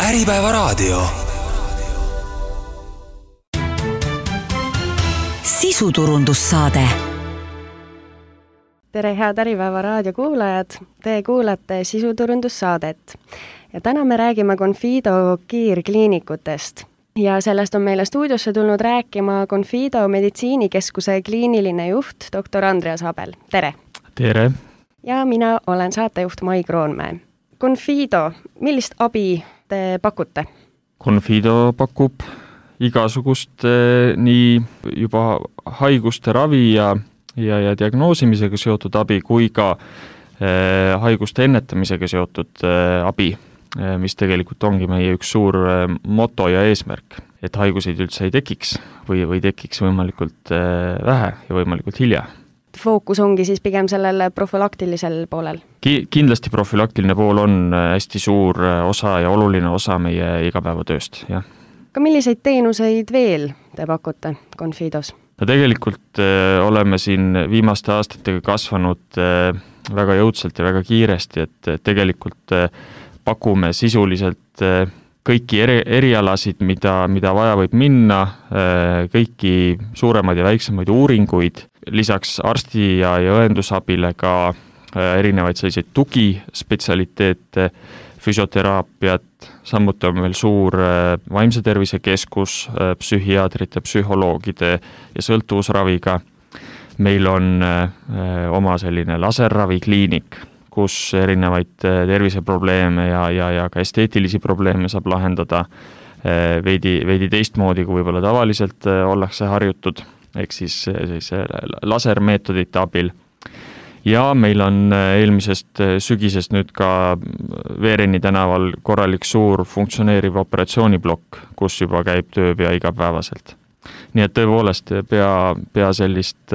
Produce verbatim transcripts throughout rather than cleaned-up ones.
Äripäevaraadio. Sisuturundussaade. Tere, head Äripäevaraadio kuulajad! Te kuulate sisuturundussaadet. Ja täna me räägime Confido kiirkliinikutest. Ja sellest on meile stuudiosse tulnud rääkima Confido meditsiinikeskuse kliiniline juht, doktor Andreas Abel. Tere! Tere! Ja mina olen saatejuht Mai Kroonmäe. Confido, millist abi te pakute? Confido pakub igasugust eh, nii juba haiguste ravi ja, ja, ja diagnoosimisega seotud abi kui ka eh, haiguste ennetamisega seotud eh, abi, eh, mis tegelikult ongi meie üks suur eh, moto ja eesmärk, et haiguseid üldse ei tekiks või, või tekiks võimalikult eh, vähe ja võimalikult hilja. Fookus ongi siis pigem sellel profülaktilisel poolel? Ki- kindlasti profülaktiline pool on hästi suur osa ja oluline osa meie igapäevatööst, jah. Ka milliseid teenuseid veel te pakute Confidos? No tegelikult äh, oleme siin viimaste aastatega kasvanud äh, väga jõudsalt ja väga kiiresti, et äh, tegelikult äh, pakume sisuliselt äh, kõiki eri, erialasid, mida, mida vaja võib minna, äh, kõiki suuremaid ja väiksemaid uuringuid, lisaks arsti ja, ja õendusabile ka äh, erinevaid selliseid tugispetsialiteete, füsioteraapiat, samuti on meil suur äh, vaimse tervise keskus äh, psühhiaatrite, psühholoogide ja sõltuvusraviga. Meil on äh, oma selline laserravikliinik, kus erinevaid äh, terviseprobleeme ja, ja, ja ka esteetilisi probleeme saab lahendada äh, veidi, veidi teistmoodi, kui võib-olla tavaliselt äh, ollakse harjutud, ehk siis, siis lasermeetodite abil. Ja meil on eelmisest sügisest nüüd ka Veereni tänaval korralik suur funktsioneeriv operatsiooniblokk, kus juba käib töö pea igapäevaselt. Nii et tõepoolest pea, pea sellist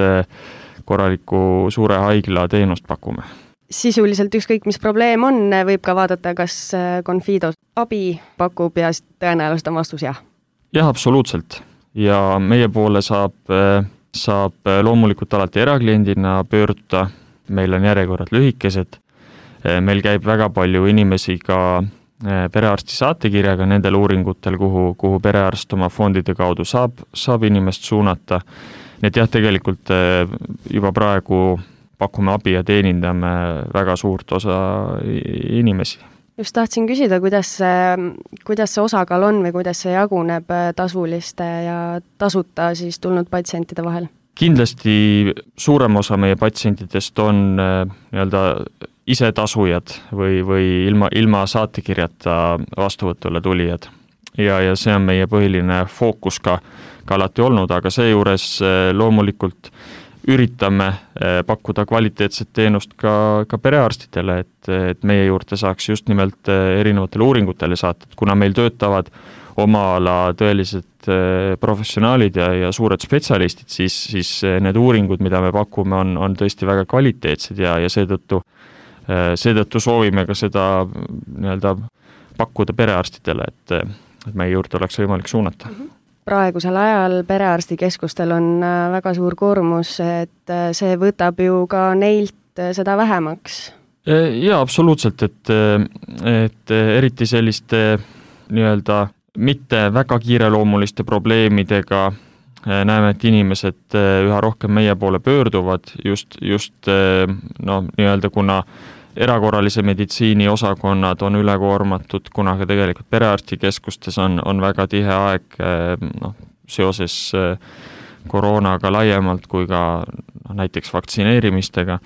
korraliku suure haigla teenust pakume. Sisuliselt ükskõik, mis probleem on, võib ka vaadata, kas Confido abi pakub ja tõenäoliselt on vastus jah? Jah, absoluutselt. Ja meie poole saab, saab loomulikult alati erakliendina pöörduda. Meil on järjekorrad lühikesed. Meil käib väga palju inimesi ka perearsti saatekirjaga nendel uuringutel, kuhu, kuhu perearst oma fondide kaudu saab, saab inimest suunata. Nii et jah, tegelikult juba praegu pakume abi ja teenindame väga suurt osa inimesi. Just tahtsin küsida, kuidas see, kuidas see osakaal on või kuidas see jaguneb tasuliste ja tasuta siis tulnud patsientide vahel? Kindlasti suurem osa meie patsientidest on nii-öelda ise tasujad või, või ilma, ilma saatekirjata vastuvõtule tulijad. Ja, ja see on meie põhiline fookus ka, ka alati olnud, aga seejuures loomulikult üritame pakkuda kvaliteetset teenust ka, ka perearstidele, et, et meie juurde saaks just nimelt erinevatele uuringutele saata, kuna meil töötavad oma ala tõelised professionaalid ja, ja suured spetsialistid, siis, siis need uuringud, mida me pakume, on, on tõesti väga kvaliteetsed ja, ja seetõttu, seetõttu soovime ka seda nii-öelda pakkuda perearstidele, et, et meie juurde oleks võimalik suunata. Praegusel ajal perearstikeskustel on väga suur koormus, et see võtab ju ka neilt seda vähemaks. Jaa, absoluutselt, et, et eriti selliste nii-öelda mitte väga kiireloomuliste probleemidega näeme, et inimesed üha rohkem meie poole pöörduvad just, just no, nii-öelda kuna erakorralise meditsiini osakonnad on ülekoormatud, kuna ka tegelikult perearstikeskustes on, on väga tihe aeg no, seoses koroonaga laiemalt kui ka no, näiteks vaktsineerimistega,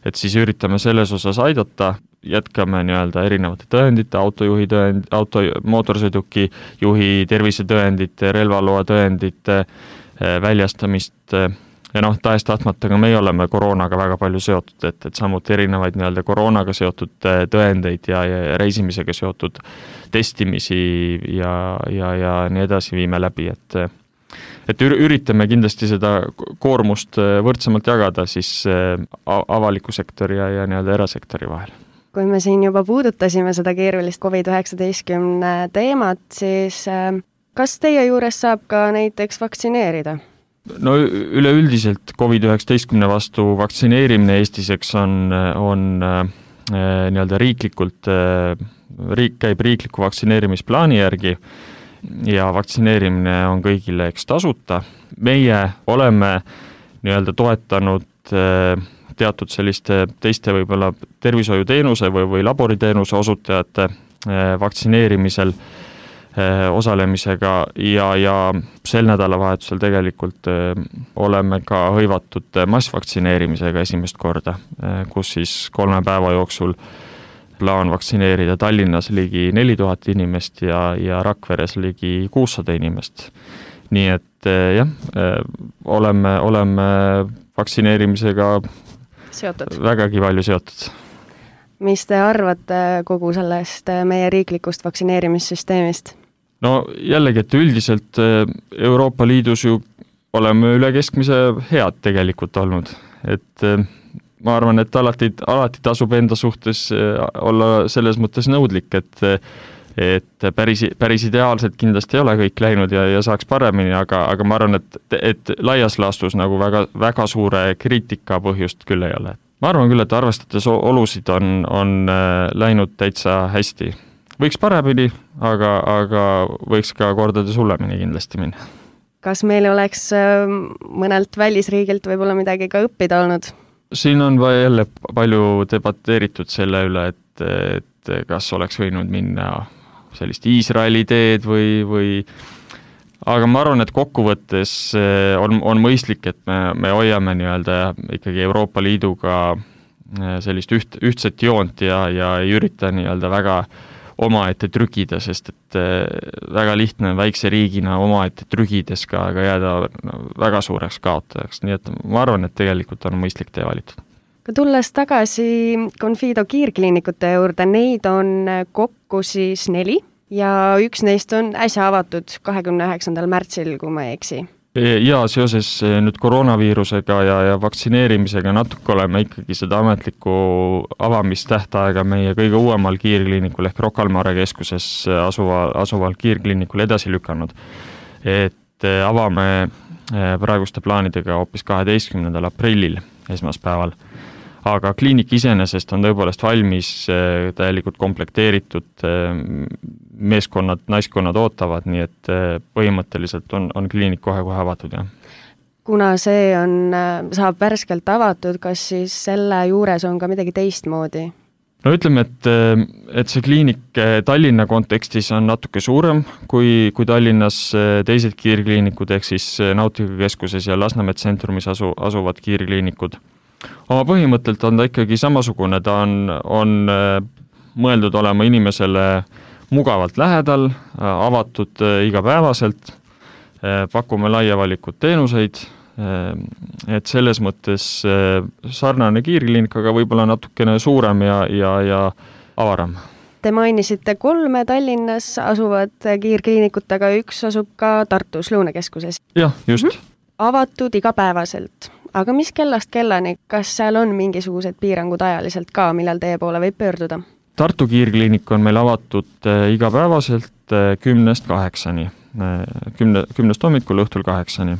et siis üritame selles osas aidata, jätkame nii-öelda erinevate tõendite, autojuhi tõend, auto, mootorsõiduki juhi tervisetõendite, relvaloa tõendite väljastamist. Ja noh, tahes tahtmata ka meie oleme koroonaga väga palju seotud, et, et samuti erinevaid nii-öelda koroonaga seotud tõendeid ja, ja reisimisega seotud testimisi ja, ja, ja nii edasi viime läbi, et, et üritame kindlasti seda koormust võrdsemalt jagada siis avaliku sektori ja, ja nii-öelda erasektori vahel. Kui me siin juba puudutasime seda keerulist covid üheksateistkümne teemat, siis kas teie juures saab ka näiteks vaktsineerida? No üleüldiselt covid üheksateistkümne vastu vaktsineerimine Eestis eks on, on nii-öelda riiklikult riik käib riikliku vaktsineerimisplaani järgi ja vaktsineerimine on kõigile eks tasuta. Meie oleme nii-öelda toetanud teatud selliste teiste võib-olla tervishoiuteenuse või, või laboriteenuse osutajate vaktsineerimisel osalemisega ja, ja sel nädalavahetusel tegelikult oleme ka hõivatud massvaktsineerimisega esimest korda, kus siis kolme päeva jooksul plaan vaktsineerida Tallinnas ligi neli tuhat inimest ja, ja Rakveres ligi kuussada inimest. Nii et jah, oleme, oleme vaktsineerimisega seotud. Vägagi palju seotud. Mis te arvate kogu sellest meie riiklikust vaktsineerimissüsteemist? No jällegi, et üldiselt Euroopa Liidus ju oleme üle keskmise head tegelikult olnud. Et ma arvan, et alati, alati tasub enda suhtes olla selles mõttes nõudlik, et, et päris, päris ideaalselt kindlasti ei ole kõik läinud ja, ja saaks paremini, aga, aga ma arvan, et, et laias laastus nagu väga, väga suure kriitika põhjust küll ei ole. Ma arvan küll, et arvestades olusid on, on läinud täitsa hästi. Võiks paremini, aga, aga võiks ka kordades hullemini kindlasti minna. Kas meil oleks mõnelt välisriigilt võib-olla midagi ka õppida olnud? Siin on jälle palju debateeritud selle üle, et, et kas oleks võinud minna sellist Iisraeli teed või, või aga ma arvan, et kokkuvõttes on, on mõistlik, et me, me hoiame nii-öelda ikkagi Euroopa Liiduga sellist üht, ühtset joont ja, ja ei ürita nii-öelda väga omaette trükida, sest et väga lihtne väikse riigina omaette trügides ka, ka jääda väga suureks kaotajaks. Nii et ma arvan, et tegelikult on mõistlik tee valitud. Ka tulles tagasi Confido kiirkliinikute juurde, neid on kokku siis neli ja üks neist on äsja avatud kahekümne üheksandal märtsil, kui ma ei eksi. Ja seoses nüüd koroonaviirusega ja, ja vaktsineerimisega natuke oleme ikkagi seda ametlikku avamistähtaega meie kõige uuemal kiirkliinikul ehk Rocca al Mare keskuses asuva, asuval kiirkliinikul edasi lükanud. Et avame praeguste plaanidega hoopis kaheteistkümnendal aprillil esmaspäeval. Aga kliinik iseenesest on tõepoolest valmis, täielikult komplekteeritud, meeskonnad, naiskonnad ootavad, nii et põhimõtteliselt on, on kliinik kohe-kohe avatud. Ja. Kuna see on, saab värskelt avatud, kas siis selle juures on ka midagi teistmoodi? No ütleme, et, et see kliinik Tallinna kontekstis on natuke suurem kui, kui Tallinnas teised kiirkliinikud, ehk siis Nautika keskuses ja Lasnamäe tsentrumis asu, asuvad kiirkliinikud. Oma põhimõttelt on ta ikkagi samasugune, ta on, on mõeldud olema inimesele mugavalt lähedal, avatud igapäevaselt, pakume laia valikut teenuseid, et selles mõttes sarnane kiirkliinik, aga võib-olla natukene suurem ja, ja, ja avaram. Te mainisite kolme Tallinnas asuvad kiirkliinikut, aga üks asub ka Tartus Lõunakeskuses. Jah, just. Mm-hmm. Avatud igapäevaselt. Aga mis kellast kellani, kas seal on mingisugused piirangud ajaliselt ka, millal teie poole võib pöörduda? Tartu kiirkliinik on meil avatud igapäevaselt kümnest kaheksani, kümne, kümnest hommikul õhtul kaheksani.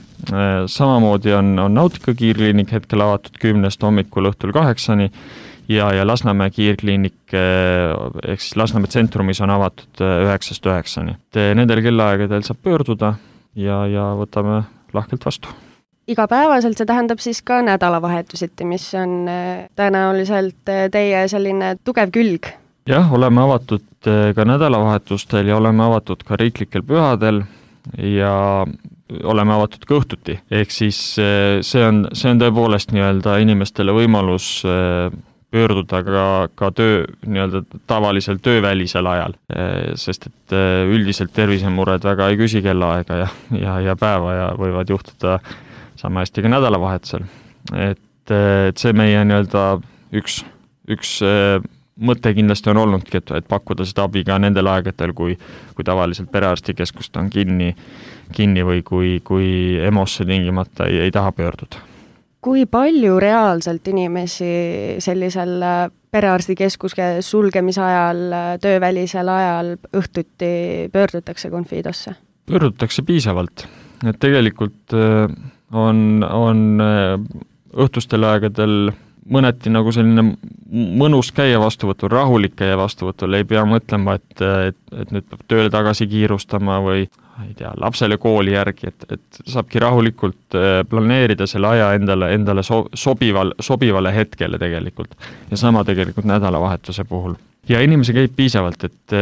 Samamoodi on, on Nautika kiirkliinik hetkel avatud kümnest hommikul õhtul kaheksani ja, ja Lasnamäe kiirkliinik ehk siis Lasnamäe tsentrumis on avatud üheksast üheksani. Nendel kellaaegadel saab pöörduda ja, ja võtame lahkelt vastu. Igapäevaselt see tähendab siis ka nädalavahetusiti, mis on tõenäoliselt teie selline tugev külg. Jah, oleme avatud ka nädalavahetustel ja oleme avatud ka riiklikel pühadel ja oleme avatud ka õhtuti. Ehk siis see on, see on tõepoolest nii-öelda inimestele võimalus pöörduda ka, ka töö, nii-öelda tavalisel töövälisel ajal, sest et üldiselt tervisemured väga ei küsi kellaaega ja, ja, ja päeva ja võivad juhtuda sama hästi ka nädalavahetusel. Et, et see meie nii-öelda üks, üks mõte kindlasti on olnudki, et, et pakkuda seda abi ka nendel aegadel, kui, kui tavaliselt perearstikeskust on kinni, kinni või kui, kui EMO-sse tingimata ei, ei taha pöörduda. Kui palju reaalselt inimesi sellisel perearstikeskuse sulgemise ajal, töövälisel ajal õhtuti pöördutakse Confidosse? Pöördutakse piisavalt. Et tegelikult on, on õhtustel aegadel mõneti nagu selline mõnus käia vastuvõtul, rahulik käia vastuvõtul, ei pea mõtlema, et, et, et nüüd peab tööle tagasi kiirustama või ei tea, lapsele kooli järgi, et, et saabki rahulikult planeerida selle aja endale, endale so, sobival, sobivale hetkele tegelikult. Ja sama tegelikult nädalavahetuse puhul. Ja inimesi käib piisavalt, et,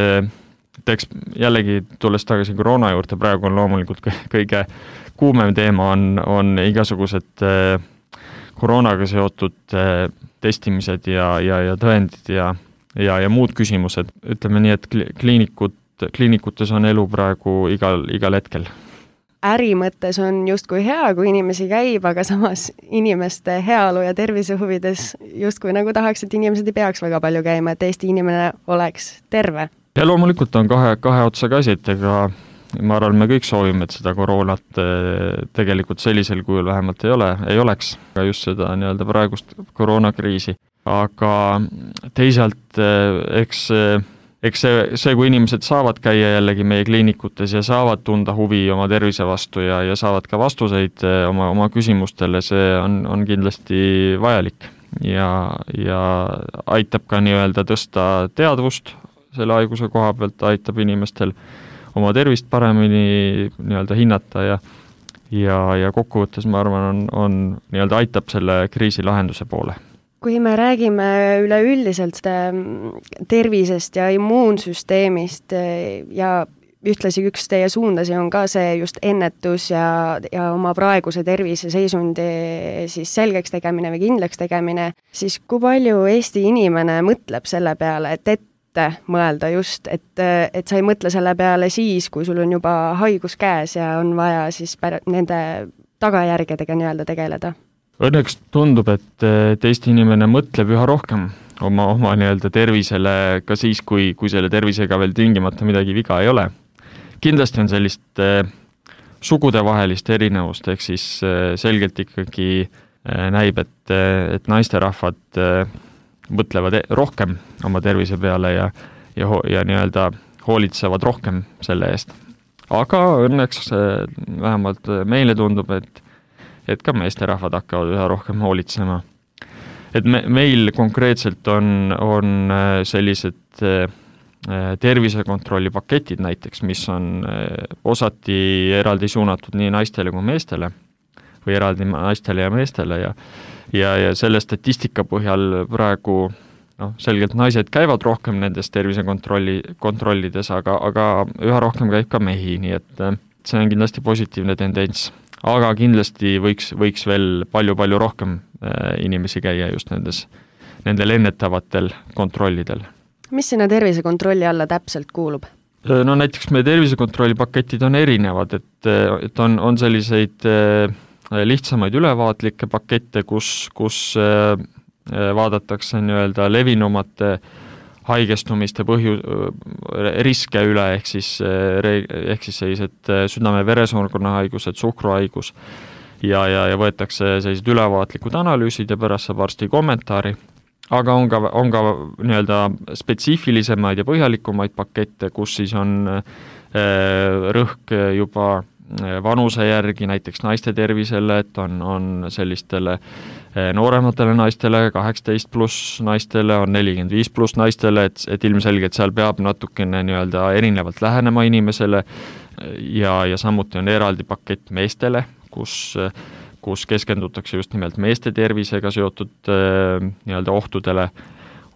et eks jällegi tulles tagasi koroona juurde, praegu on loomulikult kõige kuumem teema on, on igasugused koroonaga seotud testimised ja, ja, ja tõendid ja, ja, ja muud küsimused. Ütleme nii, et kliinikud, kliinikutes on elu praegu igal, igal hetkel. Äri mõttes on justkui hea, kui inimesi käib, aga samas inimeste heaolu ja tervise huvides justkui nagu tahaks, et inimesed ei peaks väga palju käima, et Eesti inimene oleks terve. Ja loomulikult on kahe, kahe otsaga asi, et ega ma arvan, me kõik soovime, et seda koroonat tegelikult sellisel kujul vähemalt ei ole, ei oleks, aga just seda nii-öelda praegust koroonakriisi. Aga teisalt, eks, eks see, see, kui inimesed saavad käia jällegi meie kliinikutes ja saavad tunda huvi oma tervise vastu ja, ja saavad ka vastuseid oma, oma küsimustele, see on, on kindlasti vajalik ja, ja aitab ka nii-öelda tõsta teadvust selle haiguse koha pealt, aitab inimestel oma tervist paremini nii-öelda hinnata ja, ja, ja kokkuvõttes ma arvan, on, on nii-öelda aitab selle kriisi lahenduse poole. Kui me räägime üleüldiselt tervisest ja immuunsüsteemist ja ühtlasi üks teie suundasi on ka see just ennetus ja, ja oma praeguse tervise seisundi siis selgeks tegemine või kindlaks tegemine, siis kui palju Eesti inimene mõtleb selle peale, et et mõelda just, et, et sa ei mõtle selle peale siis, kui sul on juba haigus käes ja on vaja siis pär- nende tagajärgedega nii-öelda tegeleda. Õnneks tundub, et, et Eesti inimene mõtleb üha rohkem oma, oma nii-öelda tervisele ka siis, kui, kui selle tervisega veel tingimata midagi viga ei ole. Kindlasti on sellist eh, sugudevahelist erinevust, ehk siis eh, selgelt ikkagi eh, näib, et, et naisterahvad eh, mõtlevad rohkem oma tervise peale ja, ja, ja nii-öelda hoolitsevad rohkem selle eest. Aga õnneks vähemalt meile tundub, et, et ka meesterahvad hakkavad üha rohkem hoolitsema. Et me, meil konkreetselt on, on sellised tervisekontrolli paketid näiteks, mis on osati eraldi suunatud nii naistele kui meestele või eraldi naistele ja meestele ja Ja, ja selle statistika põhjal praegu no, selgelt naised käivad rohkem nendes tervisekontrolli, kontrollides, aga, aga üha rohkem käib ka mehi, nii et see on kindlasti positiivne tendents. Aga kindlasti võiks, võiks veel palju-palju rohkem inimesi käia just nendes, nendel ennetavatel kontrollidel. Mis sinna tervisekontrolli alla täpselt kuulub? No näiteks meie tervisekontrolli paketid on erinevad, et, et on, on selliseid lihtsamaid ülevaatlikke pakette, kus, kus vaadatakse nii-öelda levinumate haigestumiste põhju, riske üle, ehk siis, ehk siis sellised südame-veresoonkonna haigused, suhkruhaigus ja, ja, ja võetakse sellised ülevaatlikud analüüsid ja pärast saab arsti kommentaari. Aga on ka, on ka nii-öelda spetsiifilisemaid ja põhjalikumaid pakette, kus siis on rõhk juba vanuse järgi, näiteks naiste tervisele, et on, on sellistele noorematele naistele, kaheksateist pluss naistele, on nelikümmend viis pluss naistele, et, et ilmselgelt seal peab natukene nii-öelda erinevalt lähenema inimesele ja, ja samuti on eraldi pakett meestele, kus, kus keskendutakse just nimelt meeste tervisega seotud nii-öelda ohtudele,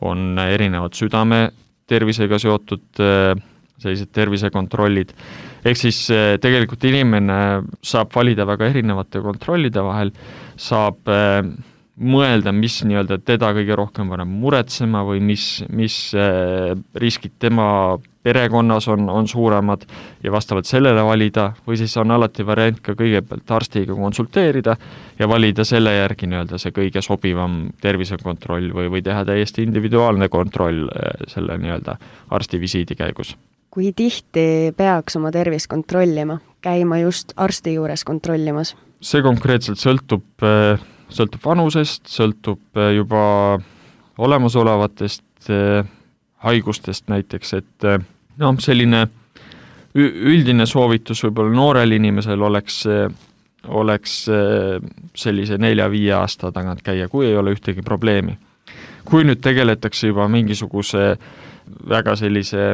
on erinevad südame tervisega seotud sellised tervisekontrollid. Ehk siis tegelikult inimene saab valida väga erinevate kontrollide vahel, saab mõelda, mis nii-öelda teda kõige rohkem paneb muretsema või mis, mis riskid tema perekonnas on, on suuremad ja vastavalt sellele valida, või siis on alati variant ka kõigepealt arstiga konsulteerida ja valida selle järgi nii-öelda see kõige sobivam tervisekontroll või, või teha täiesti individuaalne kontroll selle nii-öelda arstivisiidi käigus. Kui tihti peaks oma tervist kontrollima, käima just arsti juures kontrollimas? See konkreetselt sõltub, sõltub vanusest, sõltub juba olemasolevatest haigustest näiteks, et no, selline üldine soovitus võib-olla noorel inimesel oleks oleks sellise nelja-viie aasta tagant käia, kui ei ole ühtegi probleemi. Kui nüüd tegeletakse juba mingisuguse väga sellise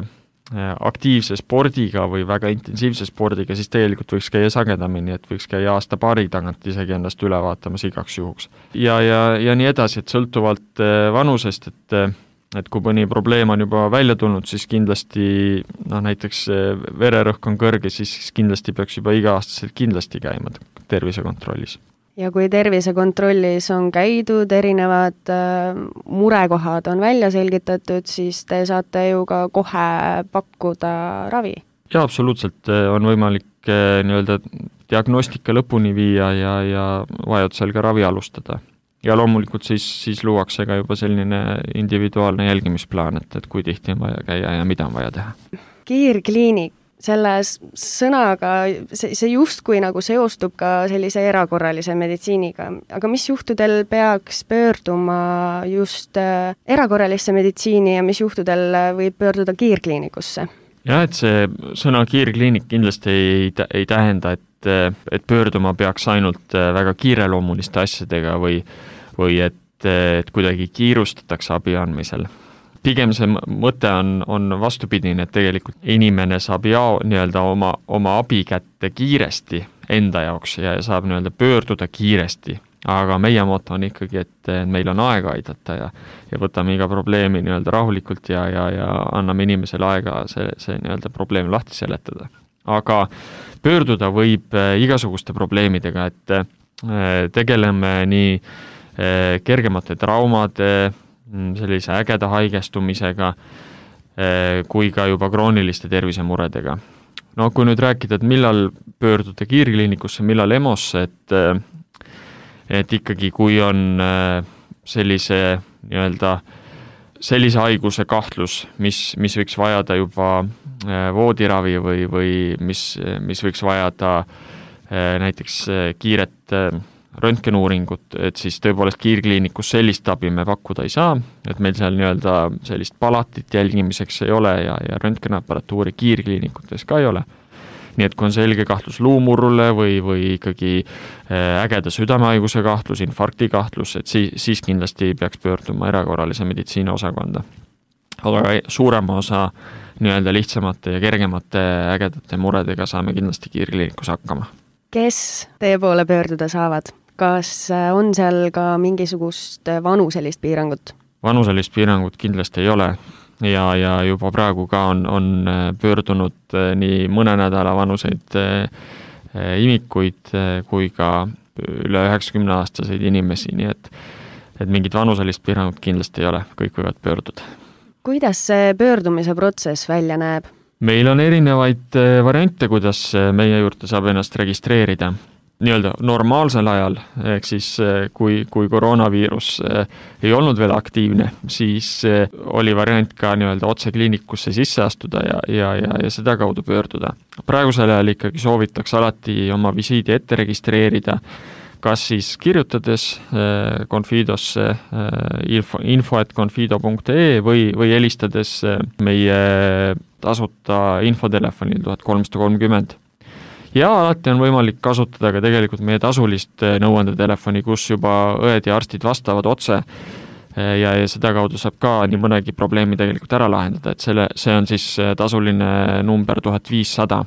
aktiivse spordiga või väga intensiivse spordiga, siis tegelikult võiks käia sagedamini, et võiks käia aasta paari tagant isegi ennast üle vaatamas igaks juhuks. Ja, ja, ja nii edasi, et sõltuvalt vanusest, et, et kui mõni probleem on juba välja tulnud, siis kindlasti, no näiteks vererõhk on kõrge, siis kindlasti peaks juba iga-aastaselt kindlasti käima tervisekontrollis. Ja kui tervisekontrollis on käidud, erinevad äh, murekohad on välja selgitatud, siis te saate ju ka kohe pakkuda ravi. Ja absoluutselt on võimalik äh, nii-öelda diagnostika lõpuni viia ja, ja vajadusel ka ravi alustada. Ja loomulikult siis, siis luuakse ka juba selline individuaalne jälgimisplaan, et, et kui tihti on vaja käia ja mida on vaja teha. Kiirkliinik. Selles sõnaga, see, see justkui nagu seostub ka sellise erakorralise meditsiiniga, aga mis juhtudel peaks pöörduma just erakorralisse meditsiini ja mis juhtudel võib pöörduda kiirkliinikusse? Ja, et see sõna kiirkliinik kindlasti ei, ei tähenda, et, et pöörduma peaks ainult väga kiireloomuliste asjadega või, või et, et kuidagi kiirustatakse abi andmisel. Pigem see mõte on, on vastupidine, et tegelikult inimene saab jao, nii-öelda oma, oma abi kätte kiiresti enda jaoks ja saab nii-öelda pöörduda kiiresti. Aga meie moto on ikkagi, et meil on aega aidata ja, ja võtame iga probleemi nii-öelda rahulikult ja, ja, ja anname inimesele aega see, see nii-öelda probleem lahti seletada. Aga pöörduda võib igasuguste probleemidega, et tegeleme nii kergemate traumade, sellise ägeda haigestumisega kui ka juba krooniliste tervisemuredega. No kui nüüd rääkida, et millal pöörduda kiirkliinikusse, millal EMO-sse, et, et ikkagi kui on sellise nii-öelda sellise haiguse kahtlus, mis, mis võiks vajada juba voodiravi või, või mis, mis võiks vajada näiteks kiiret röntgenuuringut, et siis tõepoolest kiirkliinikus sellist abi me pakkuda ei saa, et meil seal nii-öelda sellist palatit jälgimiseks ei ole ja, ja röntgenaparatuuri kiirkliinikutes ka ei ole. Nii et kui on selge kahtlus luumurrule või, või ikkagi ägeda südamehaiguse kahtlus, infarkti kahtlus, et siis, siis kindlasti peaks pöörduma erakorralise meditsiini osakonda. Aga suurema osa nii-öelda lihtsamate ja kergemate ägedate muredega saame kindlasti kiirkliinikus hakkama. Kes teie poole pöörduda saavad? Kas on seal ka mingisugust vanuselist piirangut? Vanuselist piirangut kindlasti ei ole ja, ja juba praegu ka on, on pöördunud nii mõne nädala vanuseid imikuid kui ka üle üheksakümne aastaseid inimesi, nii et, et mingit vanuselist piirangut kindlasti ei ole, kõik võivad pöörduda. Kuidas see pöördumise protsess välja näeb? Meil on erinevaid variante, kuidas meie juurde saab ennast registreerida. Nii-öelda normaalsel ajal, ehk siis kui, kui koroonaviirus ei olnud veel aktiivne, siis oli variant ka nii-öelda otse kliinikusse sisse astuda ja, ja, ja, ja seda kaudu pöörduda. Praegusel ajal ikkagi soovitakse alati oma visiidi ette registreerida, kas siis kirjutades Confidosse info, info et confido punkt ee või, või helistades meie tasuta infotelefonil tuhat kolmsada kolmkümmend. Ja alati on võimalik kasutada ka tegelikult meie tasulist nõuandetelefoni, kus juba õed ja arstid vastavad otse ja, ja seda kaudu saab ka nii mõnegi probleemi tegelikult ära lahendada, et selle, see on siis tasuline number tuhat viissada.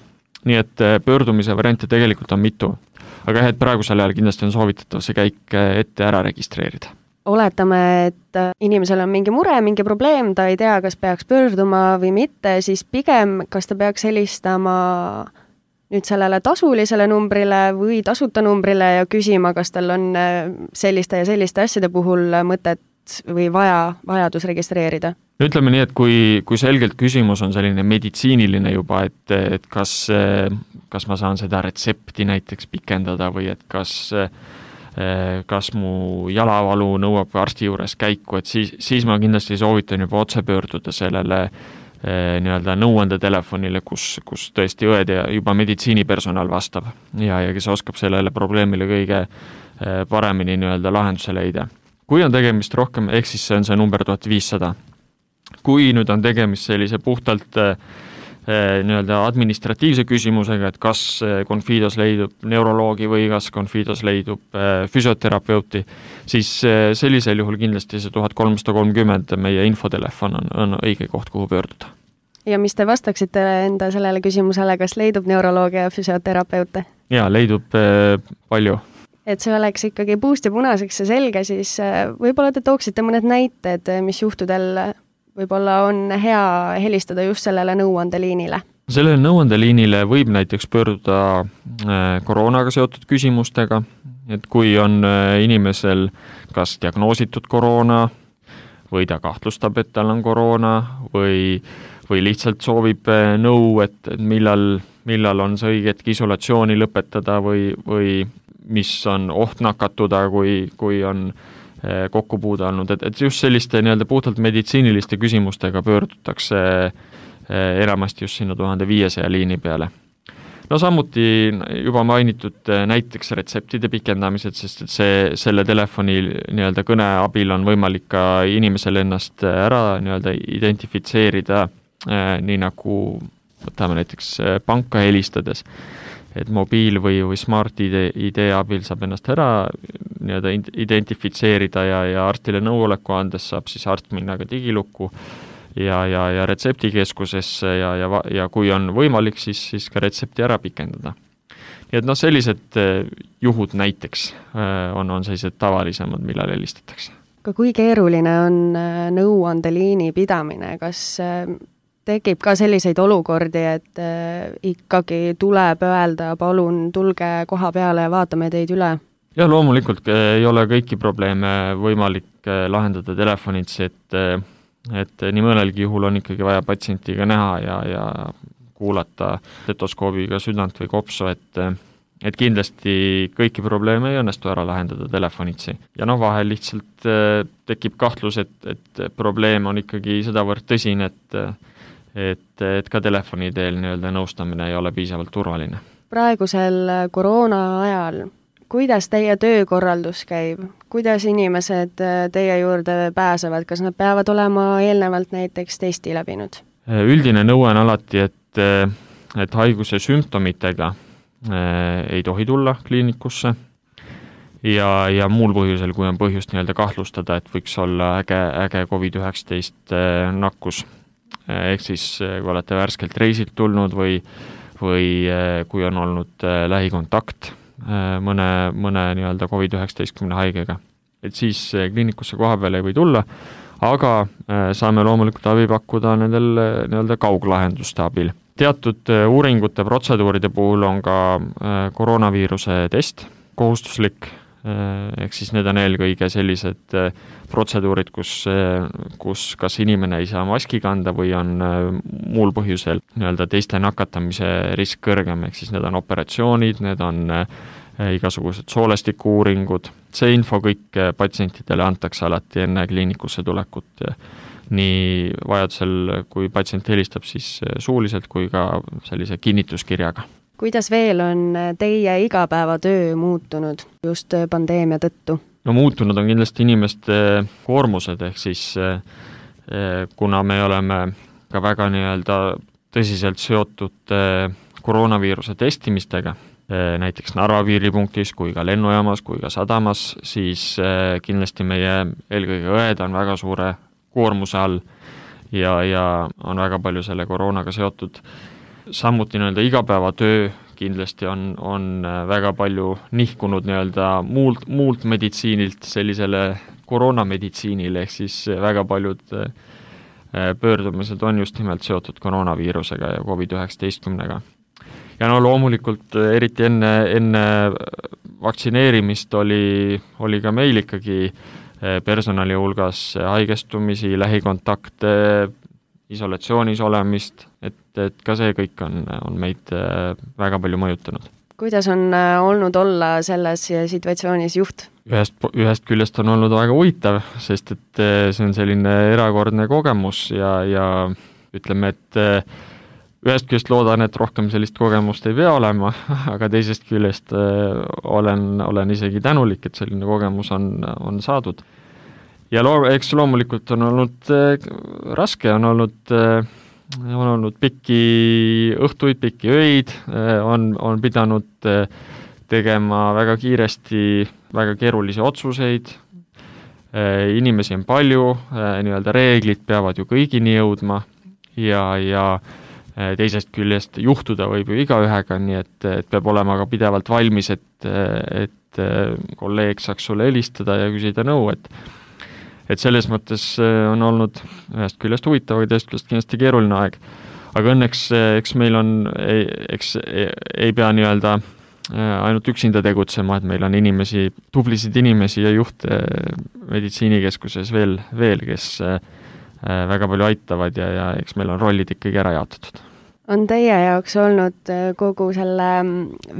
Nii et pöördumise variante tegelikult on mitu, aga et praegusel ajal kindlasti on soovitatav see käik ette ära registreerida. Oletame, et inimesel on mingi mure, mingi probleem, ta ei tea, kas peaks pöörduma või mitte, siis pigem, kas ta peaks helistama nüüd sellele tasulisele numbrile või tasuta numbrile ja küsima, kas tal on selliste ja selliste asjade puhul mõtet või vaja, vajadus registreerida? Ütleme nii, et kui, kui selgelt küsimus on selline meditsiiniline juba, et, et kas, kas ma saan seda retsepti näiteks pikendada või et kas, kas mu jalavalu nõuab arsti juures käiku, et siis, siis ma kindlasti soovitan juba otse pöörduda sellele nii-öelda nõuandetelefonile, kus, kus tõesti õed ja juba meditsiinipersonal vastab ja, ja kes oskab sellele probleemile kõige paremini nii-öelda lahenduse leida. Kui on tegemist rohkem, ehk siis see on see number tuhat viissada. Kui nüüd on tegemist sellise puhtalt nii-öelda administratiivse küsimusega, et kas Confidos leidub neuroloogi või kas Confidos leidub füsioterapeuti, siis sellisel juhul kindlasti see tuhat kolmsada kolmkümmend meie infotelefon on, on õige koht, kuhu pöörduda. Ja mis te vastaksite enda sellele küsimusele, kas leidub neuroloogia ja füsioterapeute? Jaa, leidub palju. Et see oleks ikkagi puust ja punaseks ja selge, siis võib-olla te tooksite mõned näited, mis juhtudel võib-olla on hea helistada just sellele nõuandeliinile. Sellele nõuandeliinile võib näiteks pöörduda koroonaga seotud küsimustega, et kui on inimesel kas diagnoositud koroona või ta kahtlustab, et tal on koroona või, või lihtsalt soovib nõu, et millal, millal on see õige hetk isolatsiooni lõpetada või, või mis on oht nakatuda, kui, kui on kokku puude olnud, et, et just selliste nii-öelda puhtalt meditsiiniliste küsimustega pöördutakse enamasti just sinna tuhande viiesaja liini peale. No samuti juba mainitud näiteks retseptide pikendamised, sest et see, selle telefoni nii-öelda kõne abil on võimalik ka inimesel ennast ära nii-öelda identifitseerida, nii nagu võtame näiteks panka helistades, et mobiil või, või smart I D abil saab ennast ära nii-öelda identifitseerida ja, ja arstile nõuoleku andes saab siis arst minna ka digilukku ja, ja, ja retseptikeskusesse ja, ja, ja kui on võimalik, siis, siis ka retsepti ära pikendada. Nii et noh, sellised juhud näiteks on, on sellised tavalisemad, millal helistatakse. Ka kui keeruline on nõuandeliini pidamine, kas tekib ka selliseid olukordi, et äh, ikkagi tuleb öelda, palun tulge koha peale ja vaatame teid üle? Ja loomulikult ei ole kõiki probleeme võimalik lahendada telefonitsi, et, et nii mõnelgi juhul on ikkagi vaja patsientiga näha ja, ja kuulata stetoskoobiga südant või kopsu, et, et kindlasti kõiki probleeme ei õnnestu ära lahendada telefonitsi. Ja noh, vahel lihtsalt tekib kahtlus, et, et probleem on ikkagi sedavõrd tõsine, et Et, et ka telefoni teel nii-öelda nõustamine ei ole piisavalt turvaline. Praegusel koroona ajal, kuidas teie töökorraldus käib? Kuidas inimesed teie juurde pääsevad? Kas nad peavad olema eelnevalt näiteks testi läbinud? Üldine nõue on alati, et, et haiguse sümptomitega ei tohi tulla kliinikusse ja, ja muul põhjusel, kui on põhjust nii-öelda kahtlustada, et võiks olla äge, äge covid üheksateist nakkus. Ehk siis kui olete värskelt reisilt tulnud või, või kui on olnud lähikontakt mõne, mõne nii-öelda covid üheksateist haigega. Et siis kliinikusse koha peale ei või tulla, aga saame loomulikult abi pakkuda nendel nii-öelda kauglahenduste abil. Teatud uuringute protseduuride puhul on ka koroonaviiruse test kohustuslik, ehk siis need on eelkõige sellised protseduurid, kus, kus kas inimene ei saa maski kanda või on muul põhjusel nii-öelda teiste nakatamise risk kõrgem, ehk siis need on operatsioonid, need on igasugused soolestiku-uuringud. See info kõik patsientidele antakse alati enne kliinikusse tulekut, nii vajadusel, kui patsient helistab siis suuliselt kui ka sellise kinnituskirjaga. Kuidas veel on teie igapäevatöö muutunud just pandeemia tõttu? No muutunud on kindlasti inimeste koormused, ehk siis kuna me oleme ka väga nii-öelda tõsiselt seotud koroonaviiruse testimistega, näiteks Narva piiripunktis kui ka lennujaamas kui ka sadamas, siis kindlasti meie eelkõige õed on väga suure koormuse all ja, ja on väga palju selle koroonaga seotud. Samuti nii-öelda igapäevatöö kindlasti on, on väga palju nihkunud nii-öelda muult, muult meditsiinilt sellisele koroonameditsiinile, ehk siis väga paljud pöördumised on just nimelt seotud koroonaviirusega ja covid üheksateist-ga. Ja no loomulikult eriti enne, enne vaktsineerimist oli, oli ka meil ikkagi personali hulgas haigestumisi, lähikontakte, isolatsioonis olemist, et, et ka see kõik on, on meid väga palju mõjutanud. Kuidas on olnud olla selles situatsioonis juht? Ühest, ühest küljest on olnud väga huvitav, sest et see on selline erakordne kogemus ja, ja ütleme, et ühest küljest loodan, et rohkem sellist kogemust ei pea olema, aga teisest küljest olen, olen isegi tänulik, et selline kogemus on, on saadud. Ja loo, eks loomulikult on olnud äh, raske, on olnud äh, on olnud pikki õhtuid, pikki öid, on, on pidanud tegema väga kiiresti väga keerulisi otsuseid, inimesi on palju, nii-öelda reeglid peavad ju kõigini jõudma ja, ja teisest küljest juhtuda võib ju igaühega, nii et, et peab olema ka pidevalt valmis, et, et kolleeg saaks sulle helistada ja küsida nõu, et et selles mõttes on olnud ühest küljest huvitav, aga teisest küljest kindlasti keeruline aeg. Aga õnneks, eks meil on, eks ei, ei pea nii-öelda ainult üksinda tegutsema, et meil on inimesi, tublisid inimesi ja juhte meditsiinikeskuses veel, veel, kes väga palju aitavad ja, ja eks meil on rollid ikkagi ära jaotatud. On teie jaoks olnud kogu selle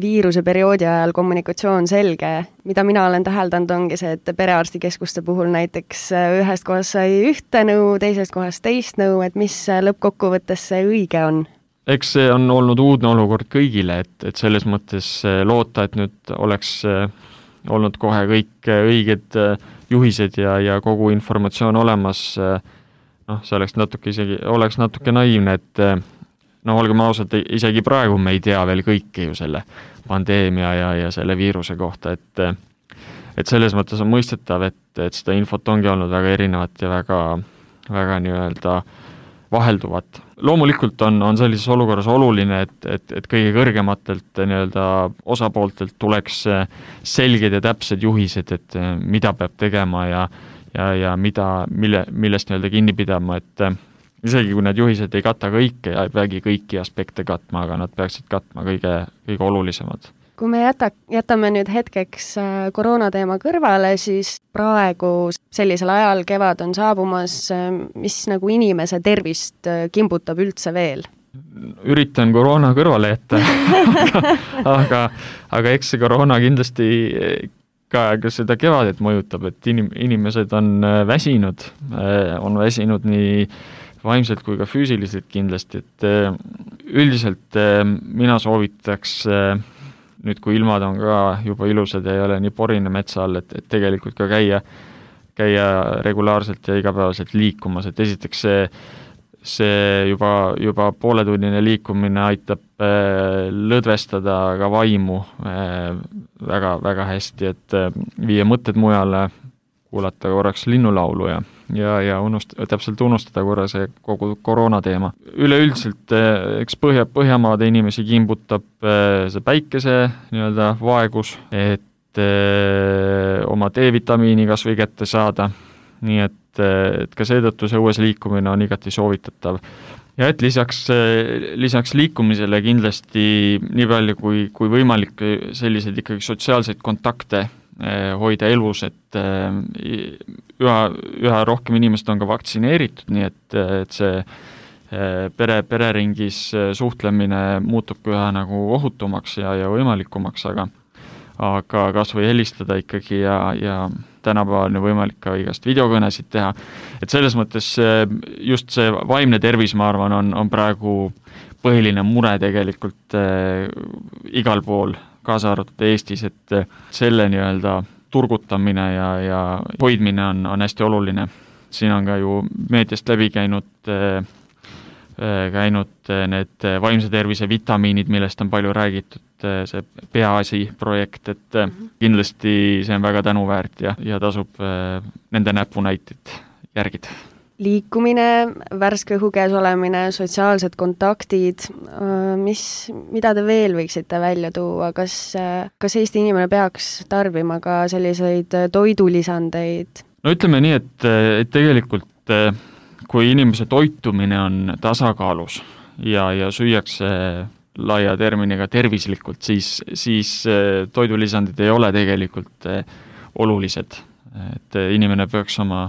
viiruse perioodi ajal kommunikatsioon selge? Mida mina olen täheldanud ongi see, et perearstikeskuste puhul näiteks ühest kohast sai ühte nõu, teisest kohast teist nõu, et mis lõppkokkuvõttes see õige on? Eks see on olnud uudne olukord kõigile, et, et selles mõttes loota, et nüüd oleks olnud kohe kõik õiged juhised ja, ja kogu informatsioon olemas, noh, see oleks natuke isegi, oleks natuke naiivne, et no olgem ausad, isegi praegu me ei tea veel kõike ju selle pandeemia ja, ja selle viiruse kohta, et, et selles mõttes on mõistetav, et, et seda infot ongi olnud väga erinevat ja väga, väga nii-öelda vahelduvat. Loomulikult on, on sellises olukorras oluline, et, et, et kõige kõrgematelt nii-öelda osapooltelt tuleks selged ja täpsed juhised, et mida peab tegema ja, ja, ja mida, mille, millest nii-öelda kinni pidama, et isegi kui need juhised ei kata kõike ja ei peagi kõiki aspekte katma, aga nad peaksid katma kõige, kõige olulisemad. Kui me jäta, jätame nüüd hetkeks koroonateema kõrvale, siis praegu sellisel ajal kevad on saabumas, mis nagu inimese tervist kimbutab üldse veel? Üritan koroona kõrvale jätta, aga, aga, aga eks see koroona kindlasti ka, ka seda kevadet mõjutab, et inim, inimesed on väsinud, on väsinud nii vaimselt kui ka füüsiliselt kindlasti, et üldiselt mina soovitaks nüüd, kui ilmad on ka juba ilusad ja ei ole nii porine metsa all, et, et tegelikult ka käia, käia regulaarselt ja igapäevaselt liikumas, et esiteks see, see juba, juba pooletunnine liikumine aitab lõdvestada ka vaimu väga, väga hästi, et viia mõtted mujale, kuulata korraks linnulaulu ja, ja, ja unust, täpselt unustada korra see kogu koroona teema. Üleüldiselt, eks Põhja, Põhjamaade inimesi kimbutab see päikese nii-öelda vaegus, et öö, oma D-vitamiini kas või kätte saada, nii et, et ka seetõttu see õues liikumine on igati soovitatav. Ja et lisaks, lisaks liikumisele kindlasti nii palju kui, kui võimalik selliseid ikkagi sotsiaalseid kontakte hoida elus, et üha, üha rohkem inimesed on ka vaktsineeritud, nii et, et see pere, pereringis suhtlemine muutub üha nagu ohutumaks ja, ja võimalikumaks, aga, aga kas või helistada ikkagi ja, ja tänapäeval on võimalik ka igast videokõnesid teha. Et selles mõttes just see vaimne tervis, ma arvan, on, on praegu põhiline mure tegelikult äh, igal pool, kaasa arvatud Eestis, et selle nii-öelda turgutamine ja, ja hoidmine on, on hästi oluline. Siin on ka ju meediast läbi käinud, käinud need vaimse tervise vitamiinid, millest on palju räägitud, see Peaasi projekt, et kindlasti see on väga tänuväärt ja, ja tasub nende näpunäited järgida. Liikumine, värske õhu käes olemine, sotsiaalsed kontaktid, mis, mida te veel võiksite välja tuua, kas, kas Eesti inimene peaks tarbima ka selliseid toidulisandeid? No ütleme nii, et, et tegelikult kui inimese toitumine on tasakaalus ja, ja süüakse laia terminiga tervislikult, siis, siis toidulisandid ei ole tegelikult olulised, et inimene peaks oma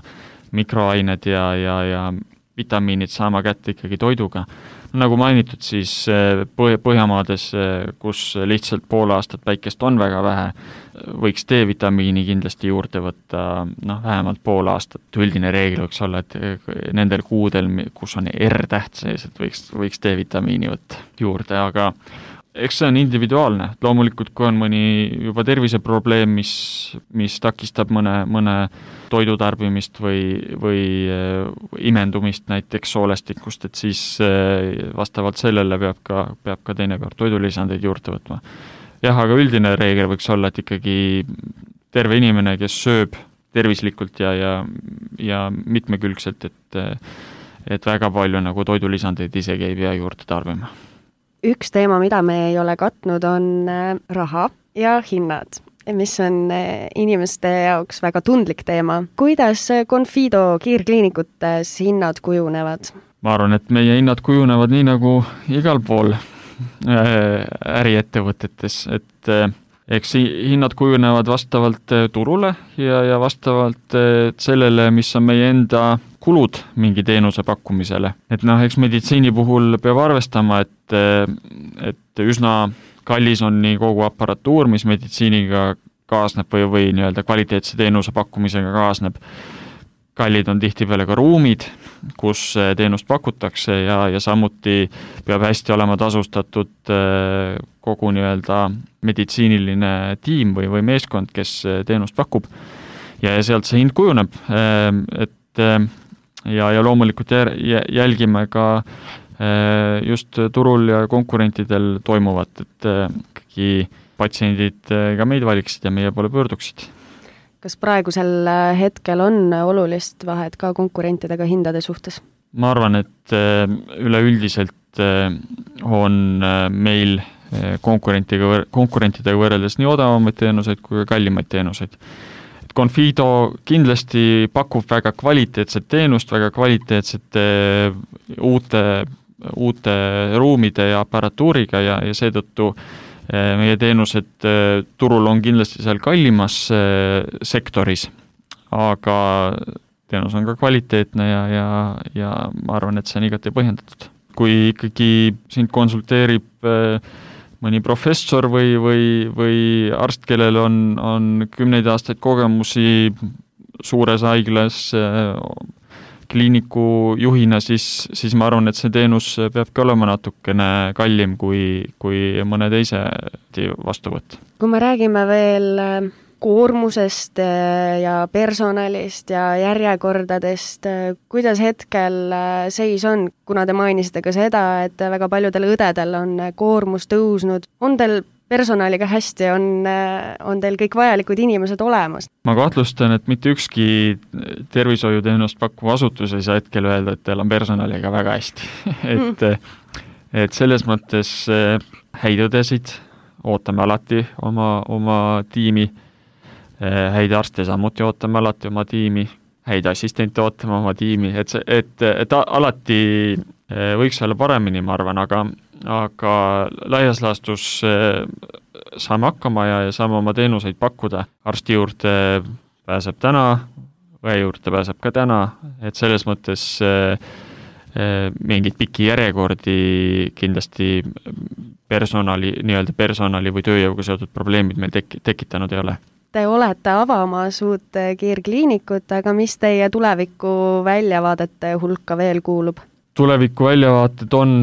mikroained ja, ja, ja vitamiinid saama kätte ikkagi toiduga. Nagu mainitud, siis Põhjamaades, kus lihtsalt pool aastat päikest on väga vähe, võiks D-vitamiini kindlasti juurde võtta noh, vähemalt pool aastat. Üldine reegel võiks olla, et nendel kuudel, kus on R-täht sees, et võiks, võiks D-vitamiini võtta juurde, aga eks see on individuaalne, loomulikult kui on mõni juba terviseprobleem, mis, mis takistab mõne, mõne toidu tarbimist või, või imendumist näiteks soolestikust, et siis vastavalt sellele peab ka, peab ka teinekord toidulisandeid juurde võtma. Jah, aga üldine reegel võiks olla, et ikkagi terve inimene, kes sööb tervislikult ja, ja, ja mitmekülgselt, et, et väga palju nagu toidulisandeid isegi ei pea juurde tarbima. Üks teema, mida me ei ole katnud, on raha ja hinnad, mis on inimeste jaoks väga tundlik teema. Kuidas Confido kiirkliinikutes hinnad kujunevad? Ma arvan, et meie hinnad kujunevad nii nagu igal pool äriettevõtetes, et eks hinnad kujunevad vastavalt turule ja, ja vastavalt sellele, mis on meie enda kulud mingi teenuse pakkumisele. Et noh, eks meditsiini puhul peab arvestama, et, et üsna kallis on nii kogu aparatuur, mis meditsiiniga kaasneb või, või nii-öelda kvaliteetse teenuse pakkumisega kaasneb. Kallid on tihtipeale ka ruumid, kus teenust pakutakse ja, ja samuti peab hästi olema tasustatud kogu nii-öelda meditsiiniline tiim või, või meeskond, kes teenust pakub. Ja, ja sealt see hind kujuneb, et ja, ja loomulikult jälgime ka just turul ja konkurentidel toimuvat, et ikkagi patsiendid ka meid valiksid ja meie poole pöörduksid. Kas praegusel hetkel on olulist vahet ka konkurentidega hindade suhtes? Ma arvan, et üleüldiselt on meil konkurentidega, konkurentidega võrreldes nii odavamaid teenuseid kui kallimaid teenuseid. Confido kindlasti pakub väga kvaliteetset teenust, väga kvaliteetsete uute, uute ruumide ja aparatuuriga ja, ja seetõttu meie teenused turul on kindlasti seal kallimas sektoris, aga teenus on ka kvaliteetne ja, ja, ja ma arvan, et see on igati põhjendatud. Kui ikkagi sind konsulteerib mõni professor või, või, või arst, kellel on, on kümneid aastaid kogemusi suures haiglas kliiniku juhina, siis, siis ma arvan, et see teenus peabki olema natukene kallim kui, kui mõne teise vastuvõtt. Kui me räägime veel koormusest ja personalist ja järjekordadest, kuidas hetkel seis on, kuna te mainisite ka seda, et väga paljudel õdedel on koormus tõusnud, on teil personaliga hästi, on, on teil kõik vajalikud inimesed olemas? Ma kahtlustan, et mitte ükski tervishoiuteenust pakkuv asutus ei saa hetkel öelda, et teil on personaliga väga hästi. et, et selles mõttes häid õdesid ootame alati oma, oma tiimi, häid arste samuti ootame alati oma tiimi, häid assistente ootame oma tiimi, et, see, et, et alati võiks olla paremini, ma arvan, aga aga laias laastus saame hakkama ja, ja saame oma teenuseid pakkuda. Arsti juurde pääseb täna, õe juurde pääseb ka täna, et selles mõttes mingid pikki järjekordi kindlasti personali, nii-öelda personali või tööjõuga seotud probleemid meil tek- tekitanud ei ole. Te olete avamas uut kiirkliinikut, aga mis teie tuleviku väljavaadete hulka veel kuulub? Tuleviku väljavaated on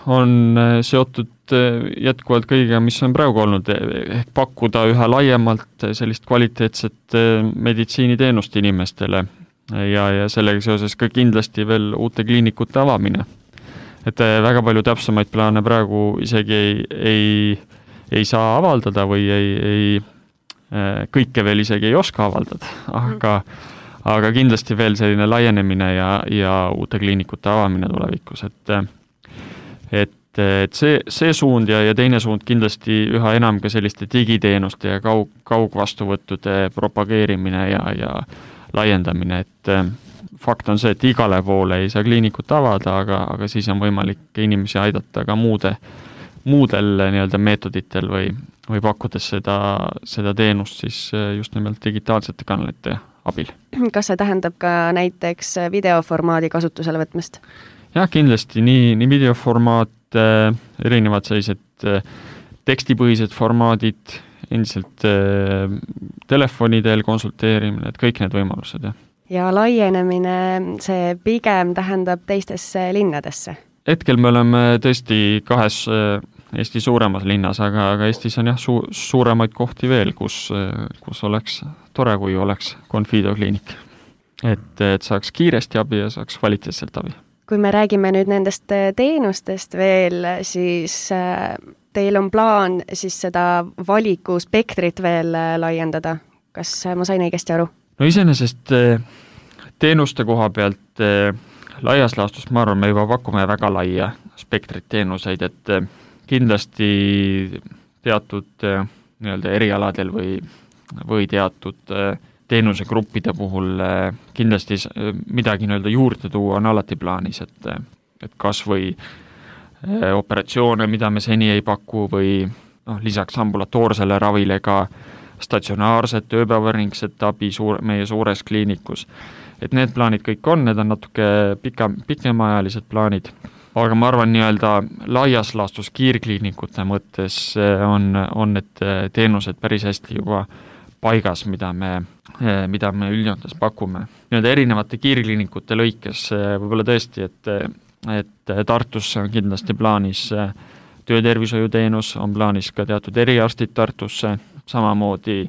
on seotud jätkuvalt kõigega, mis on praegu olnud, ehk pakkuda üha laiemalt sellist kvaliteetset meditsiiniteenust inimestele ja, ja sellega seoses ka kindlasti veel uute kliinikute avamine. Et väga palju täpsemaid plaane praegu isegi ei, ei, ei saa avaldada või ei, ei, kõike veel isegi ei oska avaldada, aga, aga kindlasti veel selline laienemine ja, ja uute kliinikute avamine tulevikus, et et, et see, see suund ja, ja teine suund kindlasti üha enam ka selliste digiteenuste ja kaug, kaugvastuvõttude propageerimine ja, ja laiendamine, et fakt on see, et igale poole ei saa kliinikut avada, aga, aga siis on võimalik inimesi aidata ka muude, muudel nii-öelda meetoditel või, või pakkudes seda, seda teenust siis just nimelt digitaalsete kanalite abil. Kas see tähendab ka näiteks videoformaadi kasutusele võtmist? Jah, kindlasti nii, nii videoformaat, erinevad sellised tekstipõhised formaadid, endiselt telefonidel konsulteerimine, et kõik need võimalused. Ja, ja laienemine, see pigem tähendab teistesse linnadesse? Hetkel me oleme tõesti kahes Eesti suuremas linnas, aga, aga Eestis on jah su, suuremaid kohti veel, kus, kus oleks tore, kui oleks Confido kliinik. Et, et saaks kiiresti abi ja saaks kvaliteetselt abi. Kui me räägime nüüd nendest teenustest veel, siis teil on plaan siis seda valikuspektrit veel laiendada. Kas ma sain õigesti aru? No iseenesest teenuste koha pealt laias laastus, ma arvan, me juba pakume väga laia spektrit teenuseid, et kindlasti teatud nii-öelda erialadel või, või teatud teenusegruppide puhul kindlasti midagi nii-öelda juurde tuua on alati plaanis, et, et kas või operatsioone, mida me seni ei paku või noh, lisaks ambulatoorsele ravile ka statsionaarset ööpäevaringset abi suur, meie suures kliinikus. Et need plaanid kõik on, need on natuke pika, pikemaajalised plaanid, aga ma arvan nii-öelda laias laastus kiirkliinikute mõttes on, on need teenused päris hästi juba paigas, mida me, mida me üldjoontes pakume. Nii-öelda erinevate kiirkliinikute lõikes võib-olla tõesti, et, et Tartusse on kindlasti plaanis töötervishoiuteenus, on plaanis ka teatud eriarstid Tartusse, samamoodi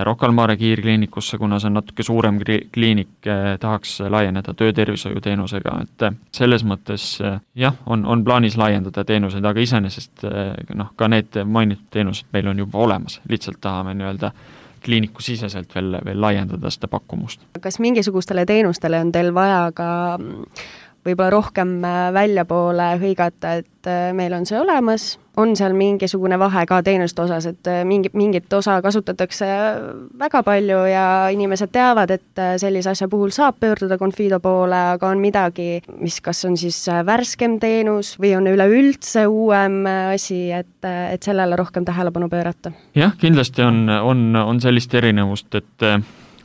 Rocca al Mare kiirkliinikusse, kuna see on natuke suurem kliinik, tahaks laieneda töötervishoiuteenusega, et selles mõttes jah, on, on plaanis laiendada teenuseid, aga iseenesest noh, ka need mainitud teenused meil on juba olemas, lihtsalt tahame nii-öelda kliiniku siseselt veel, veel laiendada seda pakkumust. Kas mingisugustele teenustele on teil vaja ka võib-olla rohkem väljapoole hõigata, et meil on see olemas, on seal mingisugune vahe ka teenuste osas, et mingi, mingit osa kasutatakse väga palju ja inimesed teavad, et sellise asja puhul saab pöörduda Confido poole, aga on midagi, mis kas on siis värskem teenus või on üleüldse uuem asi, et, et sellele rohkem tähelepanu pöörata? Jah, kindlasti on, on, on sellist erinevust, et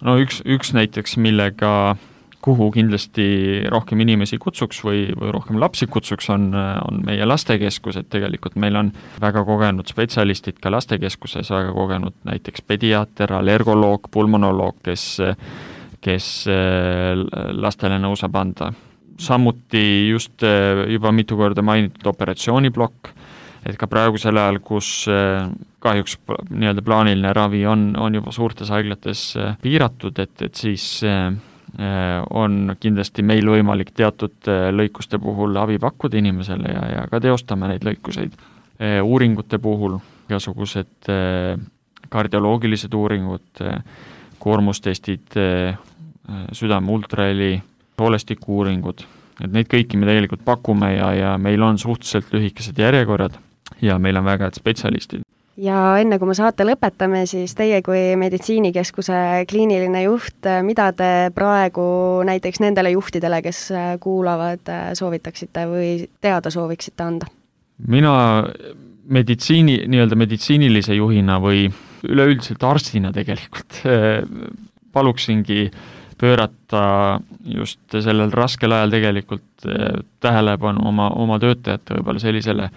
no üks, üks näiteks, millega kuhu kindlasti rohkem inimesi kutsuks või, või rohkem lapsi kutsuks, on, on meie lastekeskus, et tegelikult meil on väga kogenud spetsialistid ka lastekeskuses, väga kogenud näiteks pediaater, allergoloog, pulmonoloog, kes, kes lastele nõu saab anda. Samuti just juba mitu korda mainitud operatsiooniblokk, et ka praegusel ajal, kus kahjuks nii-öelda plaaniline ravi on, on juba suurtes haiglates piiratud, et, et siis on kindlasti meil võimalik teatud lõikuste puhul abi pakkuda inimesele ja, ja ka teostame neid lõikuseid. Uuringute puhul igasugused kardioloogilised uuringud, koormustestid, südame ultraheli, soolestiku uuringud, et neid kõiki me tegelikult pakume ja, ja meil on suhteliselt lühikesed järjekorrad ja meil on väga head spetsialistid. Ja enne kui me saate lõpetame, siis teie kui meditsiinikeskuse kliiniline juht, mida te praegu näiteks nendele juhtidele, kes kuulavad, soovitaksite või teada sooviksite anda? Mina meditsiini, nii-öelda meditsiinilise juhina või üleüldiselt arstina tegelikult paluksingi pöörata just sellel raskel ajal tegelikult tähelepanu oma, oma töötajate võib-olla sellisele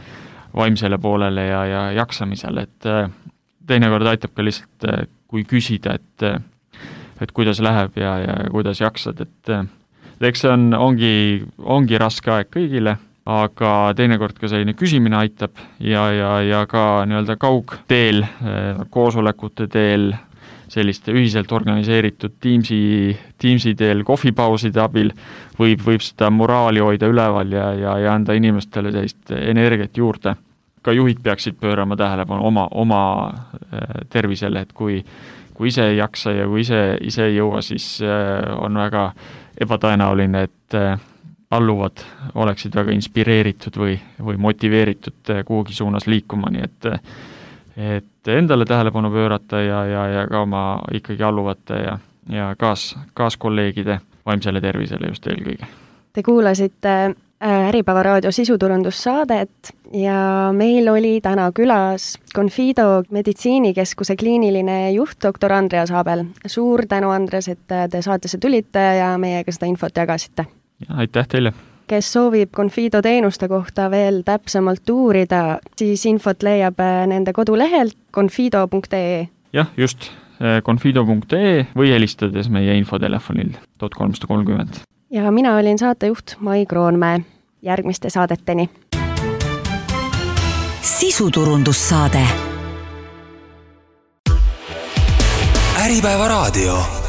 vaimsele poolele ja, ja jaksamisele, et teinekord aitab ka lihtsalt, kui küsida, et, et kuidas läheb ja, ja kuidas jaksad, et eks see on, ongi, ongi raske aeg kõigile, aga teinekord ka selline küsimine aitab ja, ja, ja ka nii-öelda kaugteel, koosolekute teel, selliste ühiselt organiseeritud Teamsi, Teamsi teel kohvipauside abil võib, võib seda moraali hoida üleval ja, ja, ja anda inimestele sellist energiat juurde. Ka juhid peaksid pöörama tähelepanu oma, oma tervisele, et kui, kui ise ei jaksa ja kui ise, ise ei jõua, siis on väga ebatõenäoline, et alluvad oleksid väga inspireeritud või, või motiveeritud kuhugi suunas liikuma, nii et et endale tähelepanu pöörata ja, ja, ja ka oma ikkagi alluvate ja, ja kaas, kaaskolleegide vaimsele tervisele just eelkõige. Te kuulasite Äripäeva raadio sisuturundussaadet ja meil oli täna külas Confido meditsiinikeskuse kliiniline juht doktor Andreas Abel. Suur tänu, Andres, et te saatesse tulite ja meiega seda infot jagasite. Ja, aitäh teile! Kes soovib Confido teenuste kohta veel täpsemalt uurida, siis infot leiab nende kodulehelt confido punkt ee. Jah, just confido punkt ee või helistades meie infotelefonil tuhat kolmsada kolmkümmend. Ja mina olin saatejuht Mai Kroonmäe. Järgmiste saadeteni! sisuturundussaade. Äripäeva raadio.